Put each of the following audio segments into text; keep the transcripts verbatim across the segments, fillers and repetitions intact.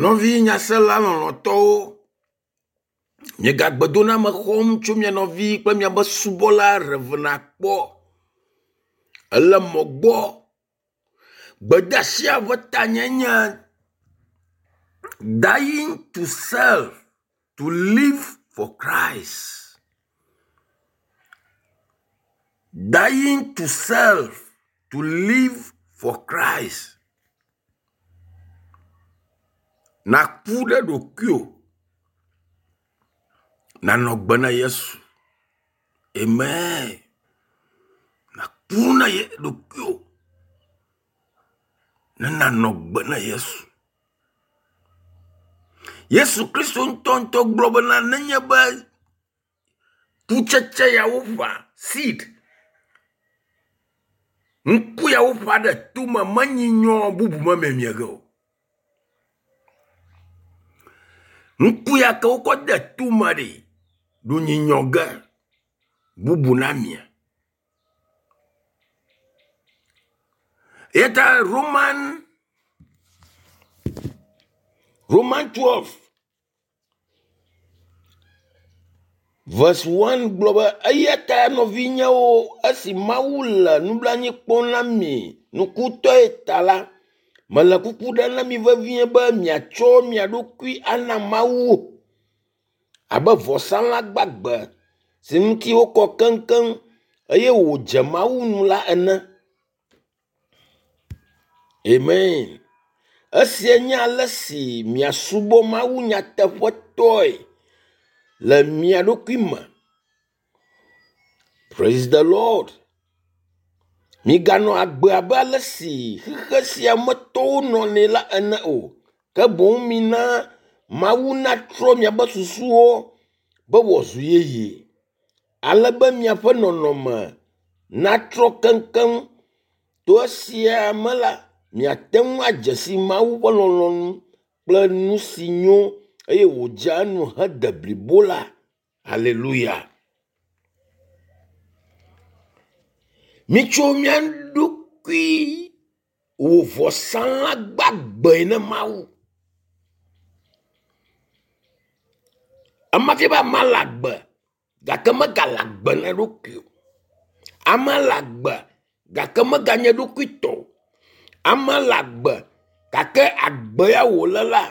Nɔvi nyasela lɔlɔ̃tɔwo, miegagbedoname xɔm tso mia nɔvi kple miaƒe subɔla Rev. Akpɔ ele mɔ gbɔ. Gbedeasia ƒe tanye nye dying to self to live for Christ. Dying to self to live for Christ. Nàku ɖe ɖokuiwò nànɔ gbe na Yesu. Amen. Nàku na ye ɖokuiwò ne nànɔ gbe na Yesu. Yesu Kristo ŋutɔŋutɔ gblɔ bena nenye be kutsetse ya woƒã seed ŋku ya woƒã ɖe tome menyi nyɔ bubu memiemie ge o. Ŋku ya ke wokɔ de tome ɖi ɖo nyinyɔ ge bubu namie. Eya ta Roman Roman twelve verse one gblɔ be eya ta nɔvinyewo esi Mawu le nublanui kpɔm na mi nukutɔe ta la, mele kuku ɖem na mi vevie be miatsɔ mia ɖokui ana Mawu abe vɔsalã gbagbe si ŋuti wokɔ keŋkeŋ eye wòdze Mawu ŋu la ene. Amen. Esia nye ale si miasubɔ Mawu nyateƒetɔe le mia ɖokui me. Praise the Lord. Miganɔ agbe abe ale si xexe sia me tɔwo nɔnɛ la ene o. Ke boŋ mina Mawu natrɔ miaƒe susuwo be wòazu yeye ale be miaƒe nɔnɔme natrɔ keŋkeŋ. To esia me la, miate ŋu adze si Mawu ƒe lɔlɔ̃nu kple nu si nyo eye wòdzea enu hede blibo la. Haleluya. Mitso mía ɖokui wɔ vɔsalã gbagbe ne Mawu. Ema fia be amea le agbe gake megale agbe na eɖokui o. Amea le agbe gake meganye eɖokuitɔ o. Amea le agbe gake agbe ya wòle la,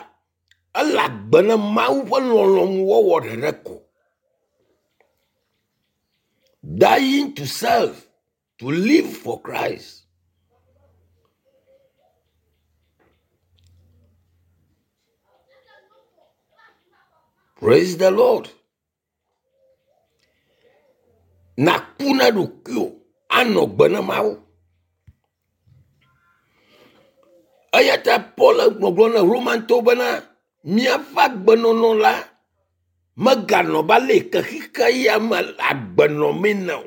ele agbe na Mawu ƒe lɔlɔ̃nuwɔwɔ ɖeɖe ko. Dying to self to live for Christ. Praise the Lord. Nàku na ɖokuiwò anɔ gbe na Mawu. Eya ta Paul gbɔgblɔ na Romantɔwo bena míaƒe agbenɔnɔ la meganɔ abe ale yi ke xixe ya me agbe nɔmee ene o.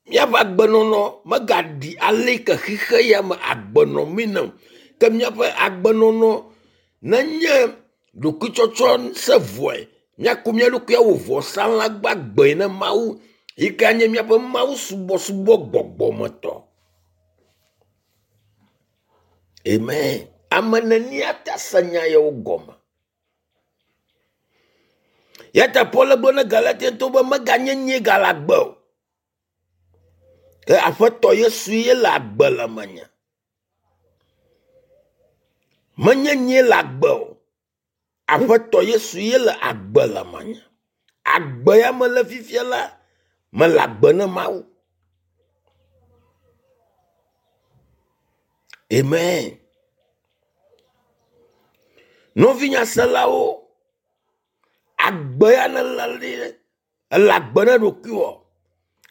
Míaƒe agbenɔnɔ megaɖi ale yi ke xixe ya me agbe nɔmee ene o. Ke míaƒe agbenɔnɔ nenye ɖokuitsɔtsɔ se vɔe míako mía ɖokui awɔ vɔsalã gbagbe na Mawu yi ke anye míaƒe Mawu subɔsubɔ gbɔgbɔmetɔ. Amen. Ame neni ate ase nya yawo gɔme? Ya ta Paul gblɔ na Galatiatɔwo be meganye nyee gale agbe o. Ke Aƒetɔ Yesu ye le agbe le menye. Menye nyee le agbe o. Aƒetɔ Yesu ye le agbe le menye. Agbe ya mele fifia la, mele agbe na Mawu. Amen. Nɔvi nyaselawo, agbe ya nele ɖi, ele agbe na ɖokuiwò.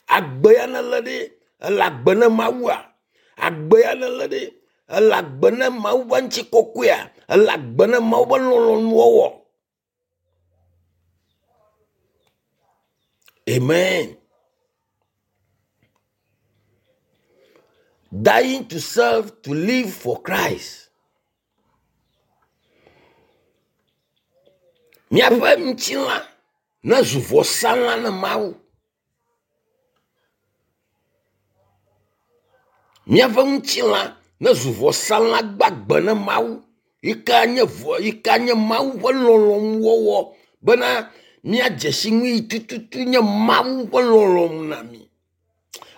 Agbe ya nele ɖi, ele agbe na Mawua. Agbe ya nele ɖi, ele agbe na Mawu ƒe ŋutikɔkɔea. Ele agbe na Mawu ƒe lɔlɔ̃nuwɔwɔ. Amen. Dying to self to live for Christ. Míaƒe ŋutilã nezu vɔsalã na Mawu. Míaƒe ŋutilã ne zu vɔsalã gbagbe ne Mawu yi ke nye vɔ yi ke nye Mawu ƒe lɔlɔ̃nuwɔwɔ bena míadze si nu yi tututu nye Mawu ƒe lɔlɔ̃nu na mí.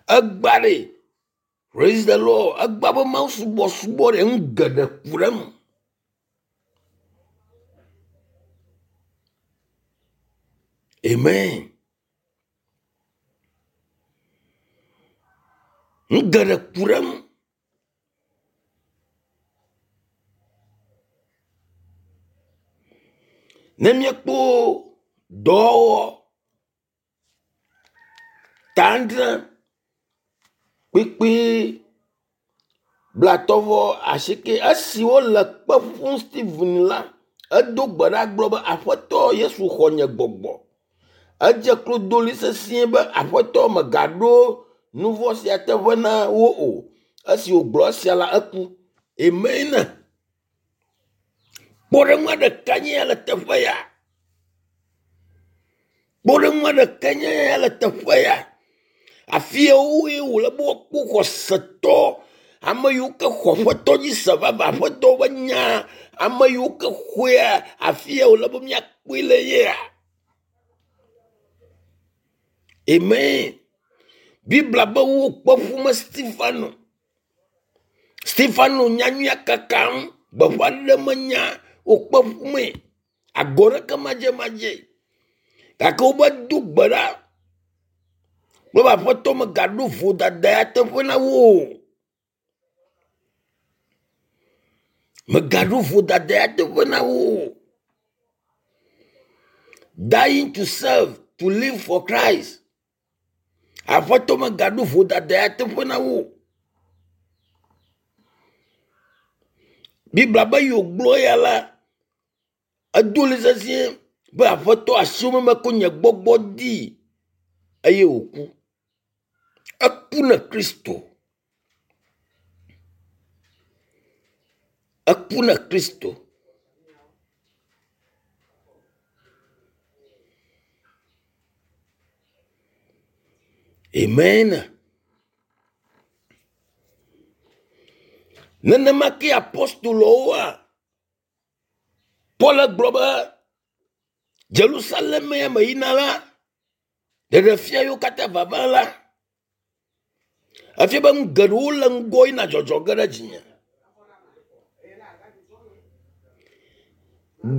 Egba ɖe, praise the Lord, egba be Mawu subɔsubɔ ɖe nu geɖe ku ɖe eme. Amen. Nu geɖe ku ɖe eme. Ne míekpɔ dɔwɔwɔ ta adre kpukpui blatɔ̃ vɔ asieke esi wole kpe ƒum Steven la, edo gbe ɖa gblɔ be Aƒetɔ Yesu xɔ nye gbɔgbɔ. Edze klo do ɣli sesĩe be Aƒetɔ megaɖo nu vɔ̃ sia teƒe na wo o. Esi wògblɔ esia la eku. Amen. Kpɔɖeŋua ɖeka nye ya le teƒe ya. Kpɔɖeŋua ɖeka nye ya le teƒe ya. Afi yawoe wòle be woakpɔ xɔsetɔ, ame yiwo ke xɔ Aƒetɔ dzi se vavã, Aƒetɔ ƒe nya, ame yiwo ke xɔea, afi ya wòle be míakpɔe le yea. Amen. Biblia be wokpe ƒume Stefano. Stefano nyanyuia kakam, gbeƒã ɖem nya, wokpe ƒume. Agɔ ɖeke madzemadze. Gake wobe do gbe ɖa. Gblɔ be Aƒetɔ megaɖo vodada ya teƒe na wo o. Megaɖo vodada ya teƒe na wo o. Dying to serve, to live for Christ. Aƒetɔ megaɖo vodada ya teƒe na wo o. Biblia be yi wògblɔ ya la, edo ɣli sesĩe be Aƒetɔ asiwò me mekɔ nye gbɔgbɔ dii eye wòku. Eku na Kristo. Eku na Kristo. Amen. Nenema ke apostolowoa, Paul gblɔ be Jerusalem ya me yina la, ɖeɖefia yiwo katã vava la, efia be nu geɖewo le ŋgɔ yina dzɔdzɔ ge ɖe dzinye.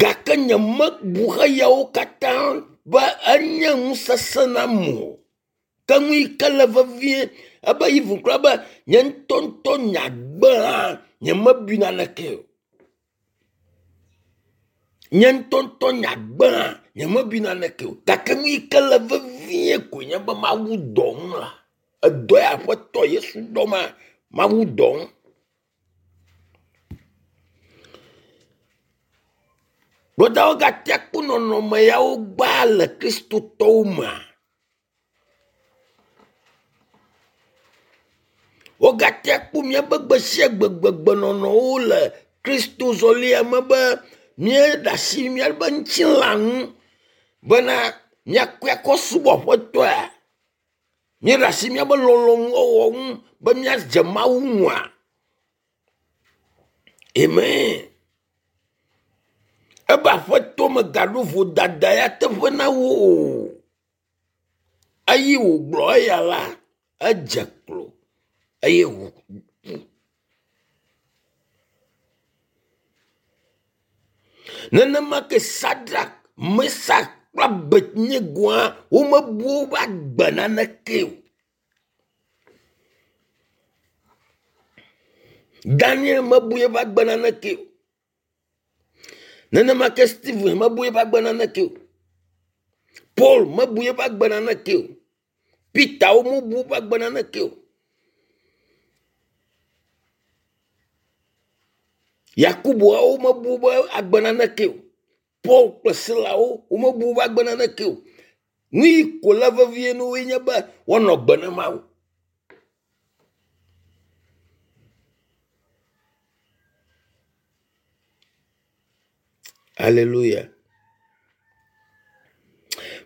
Gake nyemebu xeyawo katã be enye nu sesẽ nam o. Ke nu yi ke le vevie ebe yi ʋu kura be nye ŋutɔŋutɔ nye agbe hã nyemebui naneke o. Nye ŋutɔŋutɔ nye agbe hã nyemebui naneke o. Gake nu yi ke le vevie koe nye be Mawu dɔm la. Edɔ ya Aƒetɔ Yesu dɔma, Mawu dɔm. Brɔdawo gatea kpɔ nɔnɔme yawo gbaa le Kristotɔwo mea. Wogatea kpɔ míaƒe gbe sia gbe gbegbenɔnɔwo le Kristo zɔlia me be míeɖe asi míaƒe ŋutilã ŋu bena míakɔe akɔ subɔ Aƒetɔa. Míeɖe asi míaƒe lɔlɔ̃nuwɔwɔ ŋu be míadze Mawu ŋua. Amen. Ebe Aƒetɔ megaɖo vodada ya teƒe na wo o. Eye wògblɔ eya la, edze klo eye wòku. Nenema ke Sadrak, Mesak kple Abednegoa womebu woƒe agbe naneke o. Daniel mebu eƒe agbe naneke o. Nenema ke Stephen mebu eƒe agbe naneke o. Paul mebu eƒe agbe naneke o. Peter wo mebu woƒe agbe naneke o. Yakuboawo mebu woƒe agbe naneke o. Paul kple Silawo womebu woƒe agbe naneke o. Nu yi ko le vevie na woe nye be woanɔ gbe na Mawu. Alléluia.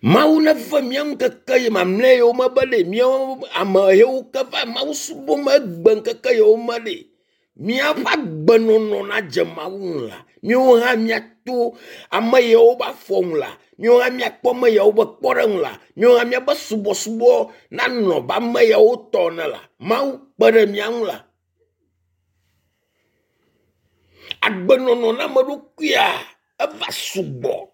Mawu neve mía ŋu ŋkeke yi mamlɛ yiwo me be ɖe míawo ame yiwo ke va Mawu subɔm egbe ŋkeke yiwo me ɖe. míaƒe agbenɔnɔ nadze Mawu ŋu la, míawo hã míato ame yawo be afɔ ŋu la, míawo hã míakpɔ ame yawo be kpɔɖeŋu la, míawo hã míaƒe subɔsubɔ nanɔ abe ame yawo tɔ ene la, Mawu kpe ɖe mía ŋu la. Agbenɔnɔ na ame ɖokuia eva sugbɔ.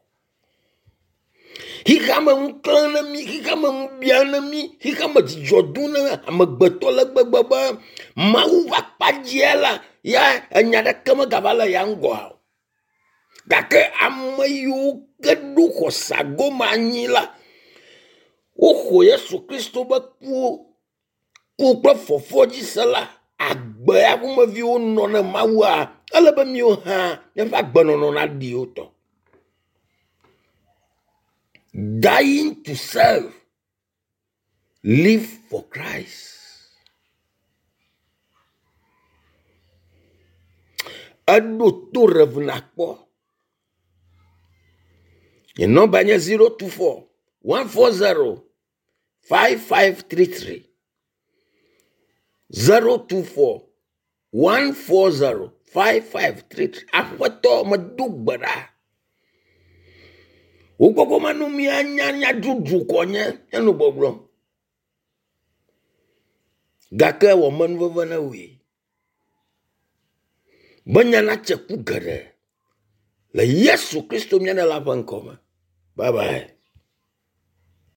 Xixeame ŋu klẽ ne mí, xixeame ŋu bia ne mí, xixeame dzidzɔ dom ne amegbetɔ le gbegbe be Mawu ƒe akpadzia la, ya enya ɖeke megava le ya ŋgɔa o. Gake ame yiwo ke ɖo xɔse gome anyi la, woxɔ Yesu Kristo be ku ku kple fɔfɔ dzi se la, agbe ya ƒomeviwo nɔ ne Mawua, ele be míawo hã míaƒe agbenɔnɔ naɖi wo tɔ. Dying to self, live for Christ. Eɖo to Rev nakpɔ. Nye nɔmba nye zero two four one four zero five five three three zero two four one four zero five five three three. Aƒetɔ medo gbe ɖa. Wò gbɔgbɔ manu míanya nya dzodzro kɔ nye míanɔ gbɔgblɔm. Gake wɔ menuveve ne wòe. Be nya natse ku geɖe le Yesu Kristo mía Ɖela ƒe ŋkɔ me. Bye bye.